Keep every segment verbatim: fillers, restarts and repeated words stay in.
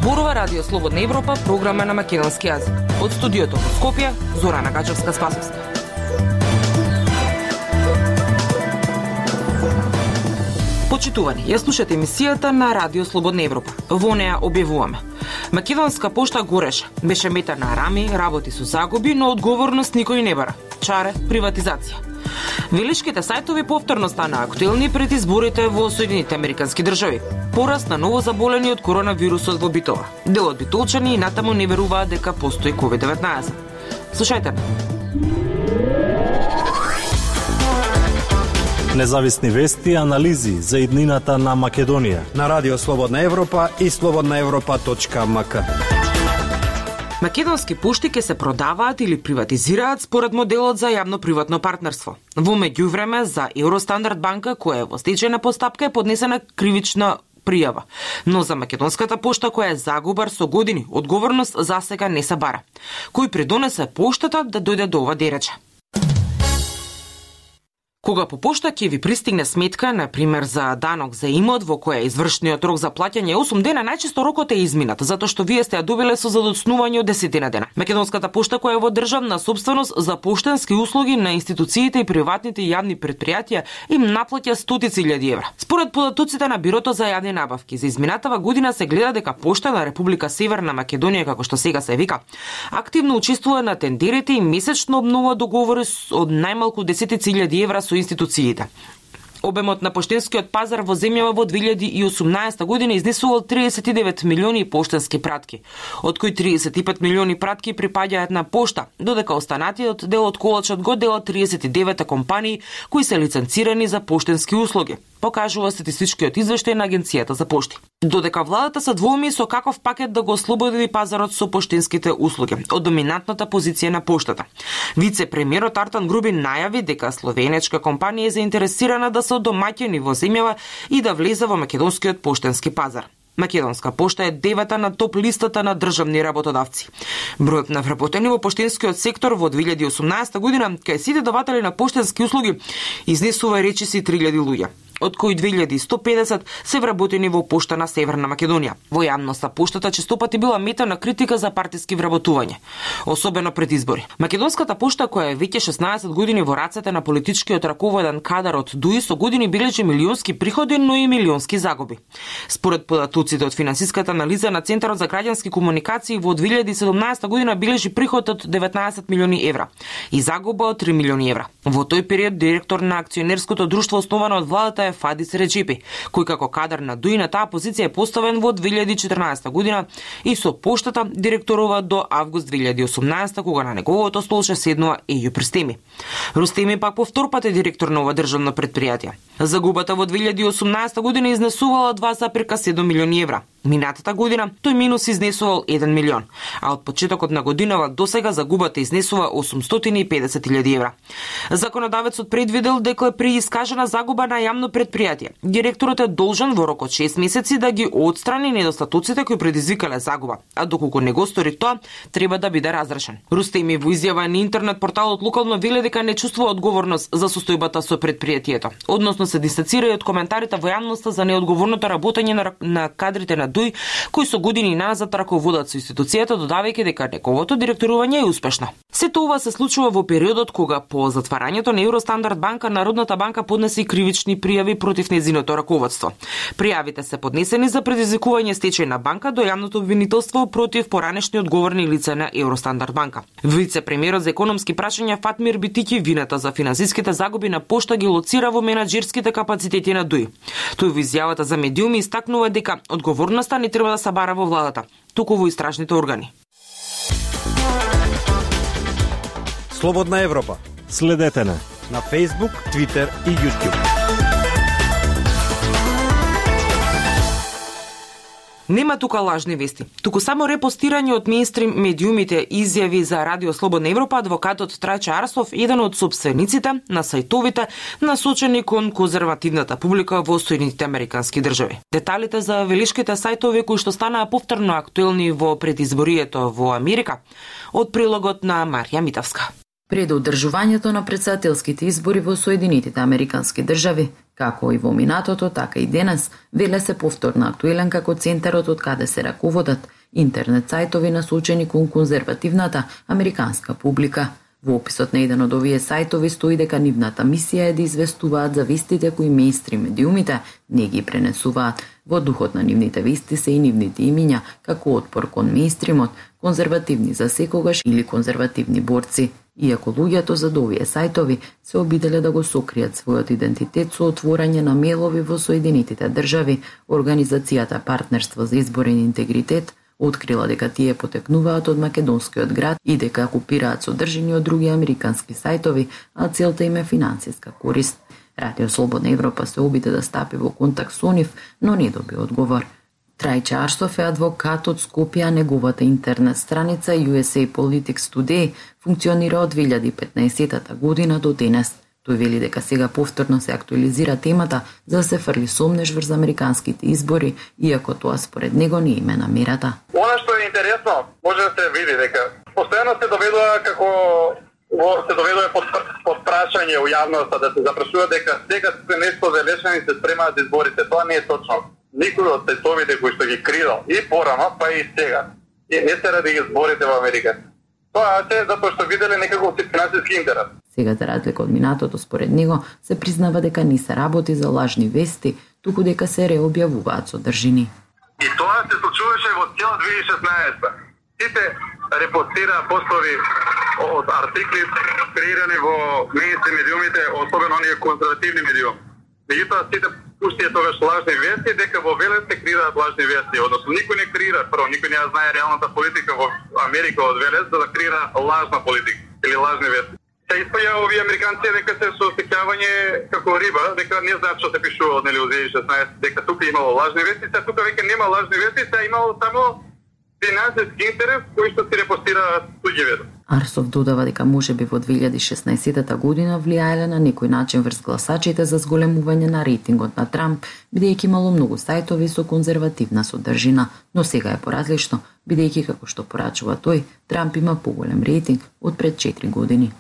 Зборува Радио Слободна Европа, програма на македонски јазик. Од студиото во Скопје, Зорана Гачевска-Спасовска. Почитувани, ја слушате емисијата на Радио Слободна Европа. Во неа објавуваме: Македонска пошта гореше, беше мета на рами, работи со загуби, но одговорност никој не бара. Чаре, приватизација. Велишките сајтови повторно стана актуелни пред изборите во Соединетите Американски држави. Пораст на ново заболени од коронавирусот во Битола. Дел од битолчани и натаму не веруваат дека постои ковид деветнаесет. Слушајте. Независни вести и анализи за иднината на Македонија на Радио Слободна Европа и слободна европа точка ем ка. Македонски пошти ќе се продаваат или приватизираат според моделот за јавно-приватно партнерство. Во меѓувреме за Евростандард банка, која е во стечајна постапка, е поднесена кривична пријава. Но за Македонската пошта, која е загубар со години, одговорност засега не се бара. Кој придонесе поштата да дојде до ова дерече? Кога по пошта ќе ви пристигне сметка, на пример за данок за имот во која извршниот рок за плаќање е осум дена, најчесто рокот е изминат, затоа што вие сте ја добиле со задоцнување од десетина дена. Македонската пошта, која е во државна собственост, за поштенски услуги на институциите и приватните и јавни претпријатија им наплаќа стотици илјади евра. Според податоците на Бирото за јавни набавки, за изминатава година се гледа дека пошта на Република Северна Македонија, како што сега се вика, активно учествува на тендерите и месечно обнова договори од најмалку десетици илјади евра со институциите. Обемот на поштенскиот пазар во земјава во две илјади и осумнаесета година изнесувал триесет и девет милиони поштенски пратки, од кои триесет и пет милиони пратки припаѓаат на пошта, додека останатиот дел од колачот го делат триесет и девет компании кои се лиценцирани за поштенски услуги, покажува статистичкиот извештај на Агенцијата за пошти. Додека владата се двоуми со каков пакет да го ослободи пазарот со поштенските услуги од доминантната позиција на поштата. Вице-премиерот Артан Грубин најави дека словенечка компанија е заинтересирана да се домаќини во земјава и да влезе во македонскиот поштенски пазар. Македонска пошта е девета на топ листата на државни работодавци. Бројот на вработени во поштенскиот сектор во две илјади и осумнаесета година кај сите даватели на поштенски услуги изнесува речиси три илјади луѓе, од кои две илјади и сто педесет се вработени во пошта на Северна Македонија. Во јавноста поштата честопати била мета на критика за партиски вработување, особено пред избори. Македонската пошта, која е веќе шеснаесет години во рацете на политичкиот раководен кадар од ДУИ, со години бележи милионски приходи, но и милионски загуби. Според податоците од финансиската анализа на Центарот за граѓански комуникации, во две илјади и седумнаесета година бележи приход од деветнаесет милиони евра и загуба од три милиони евра. Во тој период директор на акционерското друштво основано од владата е Фадис Реджипи, кој како кадар на ДУИ на таа позиција е поставен во две илјади и четрнаесета година и со поштата директорува до август две илјади и осумнаесета, кога на неговото столче седнува Ејуп Рустеми. Рустеми пак повтор пат е директор на ова државно претпријатие. Загубата во две илјади и осумнаесета година изнесувала два запирка седум милиони евра. Минатата година тој минус изнесувал еден милион, а од почетокот на годинава досега загубата изнесува осумстотини и педесет илјади евра. Законодавецот предвидел дека при искажена загуба на јавно претпријатие, директорот е должен во рок од шест месеци да ги отстрани недостатоците кои предизвикале загуба, а доколку не го стори тоа, треба да биде разрешен. Рустеми во изјава на интернет порталот локално веле дека не чувствува одговорност за состојбата со претпријатието, односно се дистанцира од коментарите во јавноста за неодговорното работење на, на кадрите на ДУИ, кои со години назад раководат со институцијата, додавајќи дека неговото директорување е успешно. Сето ова се случува во периодот кога по затварањето на Евростандард банка, Народната банка поднесе кривични пријави против нејзиното раководство. Пријавите се поднесени за предизвикување стечај на банка до јавното обвинителство против поранешни одговорни лица на Евростандард банка. Вице-премиерот за економски прашања Фатмир Битики вината за финансиските загуби на пошта ги лоцира во менаџерските капацитети на ДУИ. Тој во изјавата за медиуми истакнува дека одговорноста не треба да се бара во владата, туку во истражните органи. Слободна Европа. Следете на на Facebook, Twitter и YouTube. Нема тука лажни вести, туку само репостирање од мејнстрим медиумите изјави за Радио Слободна Европа. Адвокатот Трајче Арсов, еден од сопствениците на сајтовите насочени кон конзервативната публика во Соединетите Американски држави. Деталите за велишките сајтови кои што станаа повторно актуелни во предизборието во Америка, од прилогот на Марија Митавска. Пред одржувањето на претседателските избори во Соединетите Американски држави, Како и во минатото, така и денес, веле се повторно актуелен како центарот од каде се раководат интернет сајтови насочени кон конзервативната американска публика. Во описот на еден од овие сајтови стои дека нивната мисија е да известуваат за вестите кои мејнстрим медиумите не ги пренесуваат. Во духот на нивните вести се и нивните имиња, како отпор кон мејнстримот, конзервативни за секогаш или конзервативни борци. Иако луѓето зад овие сајтови се обиделе да го сокријат својот идентитет со отворање на мејлови во Соединетите држави, Организацијата Партнерство за изборен интегритет открила дека тие потекнуваат од македонскиот град и дека купираат содржини од други американски сајтови, а целта им е финансиска корист. Радио Слободна Европа се обиде да стапи во контакт со нив, но не доби одговор. Трајче Арсов е адвокат од Скопје, а неговата интернет страница ю ес ей Politics Today функционира од две илјади и петнаесетта година до денес. Тој вели дека сега повторно се актуализира темата за да се фрли сомнеж врз американските избори, иако тоа според него не име намерата. Она што е интересно, може да се види дека постојано се доведува како се доведува под, под прашање у јавноста да се запрашува дека сега се нешто залешени се спремаат изборите. Тоа не е точно. Никој од сајтовите кои што ги кридал и порано, па и сега, и не се ради изборите во Америка. Тоа е затоа што виделе некако финансиски интерес. Сега, за разлика од минатото, според него, се признава дека не се работи за лажни вести, туку дека се реобјавуваат содржини. И тоа се случуваше во цела две илјади и шеснаесетта. Сите репостира постови од артикли креирани во мејнстрим медиумите, особено оние конзервативни медиуми. Меѓутоа, сите пуштија тогаш лажни вести, дека во Велес се креираат лажни вести. Односно, никој не креира, прво, никој не знае реалната политика во Америка од Велес, за да креира лажна политика или лажни вести. Се испаја овие американци дека се со сеќавање како риба, дека не знаат што се пишува од нели од две илјади и шеснаесетта, дека тука имало лажни вести, се тука веќе нема лажни вести, се имало само финансиски интерес кој што се репостира туѓи вести. Арсов додава дека можеби во две илјади и шеснаесетта година влијаеле на некој начин врз гласачите за зголемување на рейтингот на Трамп, бидејќи имало многу сајтови со конзервативна содржина, но сега е поразлично, бидејќи како што порачува тој, Трамп има поголем рейтинг од пред четири години.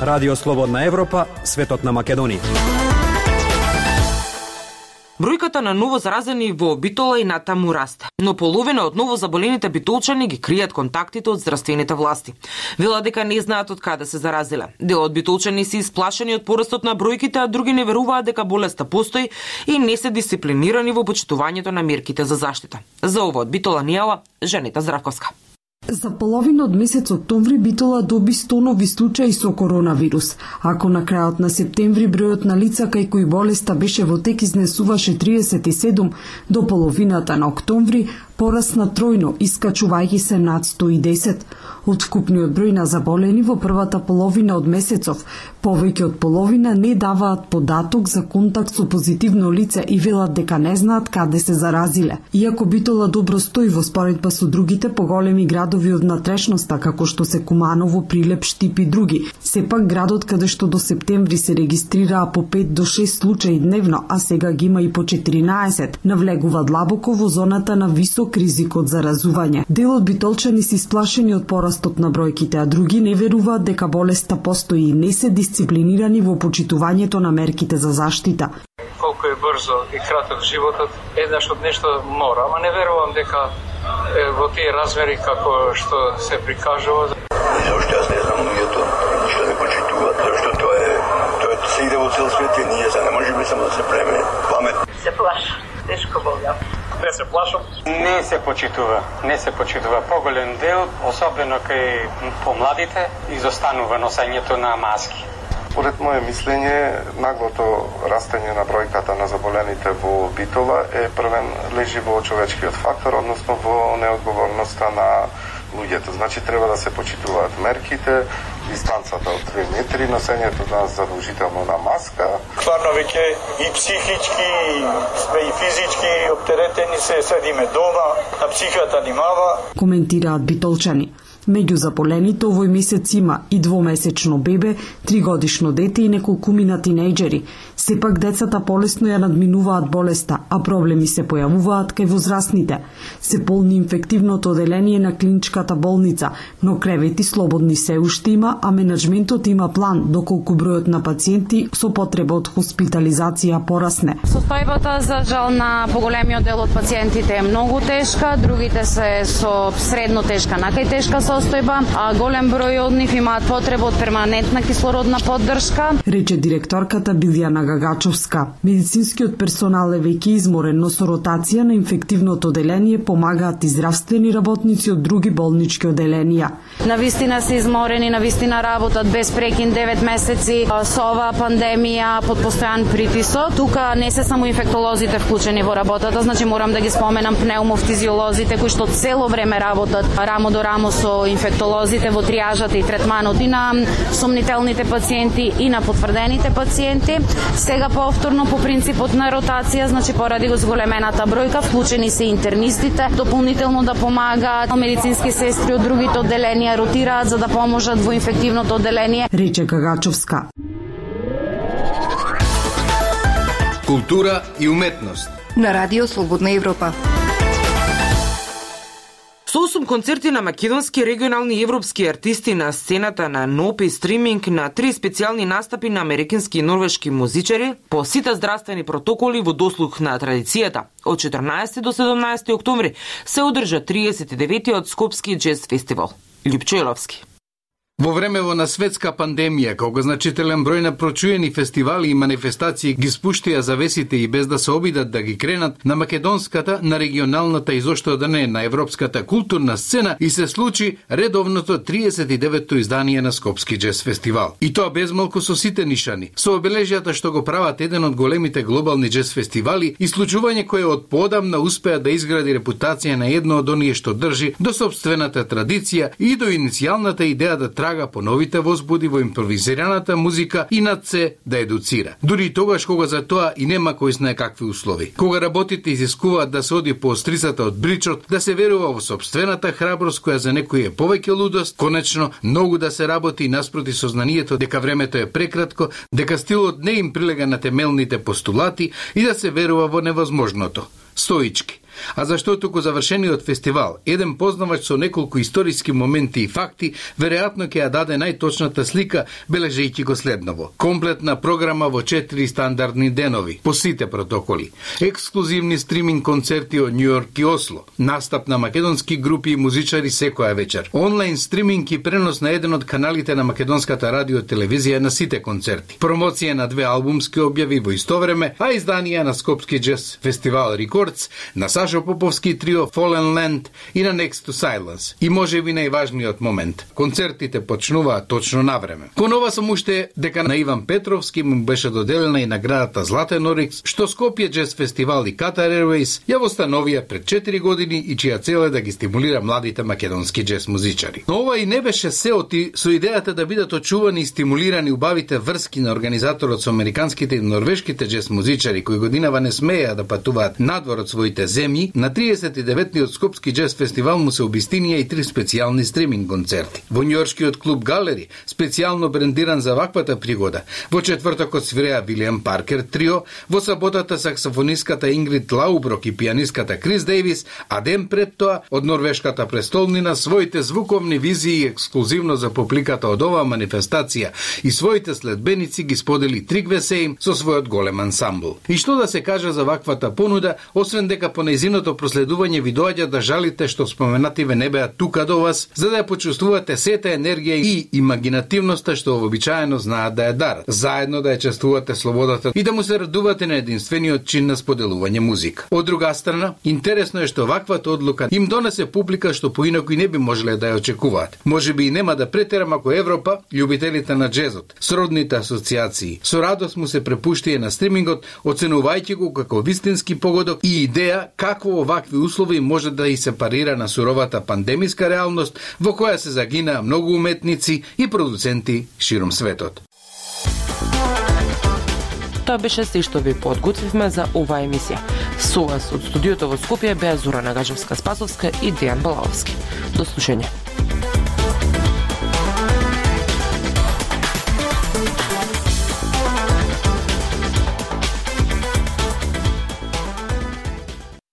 Радио Слободна Европа, светот на Македонија. Бројката на ново заразени во Битола и натаму расте, но половина од ново заболените битолчани ги кријат контактите од здравствените власти. Велат дека не знаат од каде се заразиле. Дел од битолчани се исплашени од порастот на бројките, а други не веруваат дека болеста постои и не се дисциплинирани во почитувањето на мерките за заштита. За ова од Битола ни јава Женита Здравковска. За половина од месец октомври Битола доби сто нови случаи со коронавирус. Ако на крајот на септември бројот на лица кај кои болеста беше во тек изнесуваше триесет и седум, до половината на октомври порасна тројно, искачувајќи се над сто и десет. Од вкупниот број на заболени во првата половина од месецов, повеќе од половина не даваат податок за контакт со позитивно лице и велат дека не знаат каде се заразиле. Иако Битола добро стои во споредба со другите поголеми градови од натрешноста, како што се Куманово, Прилеп, Штип и други, сепак градот каде што до септември се регистрираа по пет до шест случаи дневно, а сега ги има и по четиринаесет, навлегува длабоко во зоната на висок ризик од заразување. Дел од битолчани се исплашени од порастот на бројките, а други не веруваат дека болеста постои и не се дисциплинирани во почитувањето на мерките за заштита. Колку е брзо и краток животот, еднаш од нешто мора, ама не верувам дека е, во тие размери како што се прикажува. Зошто јас не знам луѓето што не почитуваат, зашто тоа е, тоа се иде во цел свет и ние се не можеме само да се преме памет. Се плашам, тешко болам. Не се плашам. Не се почитува, не се почитува. Поголем дел, особено кај помладите, изостанува носењето на маски. Според моје мислење, наглото растење на бројката на заболените во Битола е првен лежи во човечкиот фактор, односно во неодговорноста на луѓето. Значи треба да се почитуваат мерките, дистанцата од две метри, носењето на задолжително на маска. Стварно веќе и психички, и физички оптеретени се, седиме дома, а психата нимава. Коментираат битолчани. Меѓу заболените овој месец има и двомесечно бебе, тригодишно дете и неколкумина тинејџери. Сепак децата полесно ја надминуваат болеста, а проблеми се појавуваат кај возрастните. Се полни инфективното оделение на клиничката болница, но кревети слободни се уште има, а менеджментот има план доколку бројот на пациенти со потреба од хоспитализација порасне. Состојбата за жал на поголемиот дел од пациентите е многу тешка, другите се со средно тешка, накај тешка состојба, а голем број од нив имаат потреба од перманентна кислородна поддршка, рече директорката Билјана Гагачовска. Медицинскиот персонал е веќе изморен, но со ротација на инфективното оделение помагаат и здравствени работници од други болнички оделенија. Навистина се изморени, навистина работат без прекин девет месеци со оваа пандемија под постојан притисок. Тука не се само инфектолозите вклучени во работата, значи морам да ги споменам пнеумофтизиолозите кои што цело време работат рамо до рамо со инфектолозите во триажата и третманот и на сомнителните пациенти и на потврдените пациенти. Сега повторно по принципот на ротација, значи поради го зголемената бројка, вклучени се интернистите, дополнително да помагаат медицински сестри од другите одделенија, ротираат за да поможат во инфективното одделение, рече Гагачовска. Култура и уметност на Радио Слободна Европа. Со осум концерти на македонски, регионални и европски артисти на сцената на НОП и стриминг, на три специјални настапи на американски и норвешки музичари, по сите здравствени протоколи во дослух на традицијата, од четрнаесети до седумнаесети октомври се одржа триесет и деветиот Скопски джез фестивал. Лјупче Во времево на светска пандемија, кога значителен број на прочуени фестивали и манифестации ги спуштија завесите и без да се обидат да ги кренат на македонската, на регионалната и зошто да не на европската културна сцена, и се случи редовното триесет и деветто издание на Скопски джез фестивал. И тоа безмалку со сите нишани, со обележјата што го прават еден од големите глобални джез фестивали и случување кое од поодамна успеа да изгради репутација на едно од оние што држи до собствената традиција и до иницијалната идеја да трага по новите возбуди во импровизираната музика и над се да едуцира. Дури и тогаш кога за тоа и нема кој знае какви услови. Кога работите изискуваат да се оди по острицата од бричот, да се верува во собствената храброст која за некој е повеќе лудост, конечно многу да се работи наспроти сознанието дека времето е прекратко, дека стилот не им прилега на темелните постулати и да се верува во невозможното. Стоички. А зашто туку завршениот фестивал, еден познавач со неколку историски моменти и факти, веројатно ќе ја даде најточната слика, бележејќи го следново. Комплетна програма во четири стандардни денови, по сите протоколи. Ексклузивни стриминг концерти од Њујорк и Осло. Настап на македонски групи и музичари секоја вечер. Онлайн стриминг и пренос на еден од каналите на македонската радио телевизија на сите концерти. Промоција на две албумски објави во исто време, а изданија на Скопски джез фестивал Рекордс, на Сашо Поповски трио Fallen Land и на Next to Silence. И може би најважниот момент. Концертите почнуваат точно на време. Кон ова сум уште дека на Иван Петровски му беше доделена и наградата Златен Орикс, што Скопје джез фестивал и Qatar Airways ја востановија пред четири години и чија цел е да ги стимулира младите македонски джез музичари. Но ова и не беше се оти со идејата да бидат очувани и стимулирани убавите врски на организаторот со американските и норвешките джез музичари кои годинава не смееа да патуваат надвор од своите земји. На триесет и деветиот Скопски джез фестивал му се обистинија и три специјални стриминг концерти. Во њујоршкиот клуб Галери, специјално брендиран за ваквата пригода, во четвртокот свиреа Вилијам Паркер трио, во саботата саксофониската Ингрид Лауброк и пианиската Крис Дејвис, а ден пред тоа од норвешката престолнина своите звуковни визии ексклузивно за публиката од оваа манифестација и своите следбеници ги сподели Тригве Сейм со својот голем ансамбл. И што да се каже за ваквата понуда, освен дека по нејзиното проследување ви доаѓа да жалите што споменативе не беа тука до вас, за да ја почувствувате сета енергија и имагинативноста што вообичаено знаат да ја дарат, заедно да ја чествувате слободата и да му се радувате на единствениот чин на споделување музика. Од друга страна, интересно е што ваквата одлука им донесе публика што поинаку и не би можеле да ја очекуваат. Може би и нема да претерам ако Европа, љубителите на джезот, сродните асоциации, со радост му се препуштија на стримингот, оценувајќи го како вистински погодок и идеја какво овакви услови може да и се парира на суровата пандемиска реалност во која се загинаа многу уметници и продуценти широм светот. Тоа беше се што ви подготвивме за оваа емисија. Со вас од студиото во Скопје беа Зора Нагачевска-Спасовска и Дејан Балаовски. До слушање.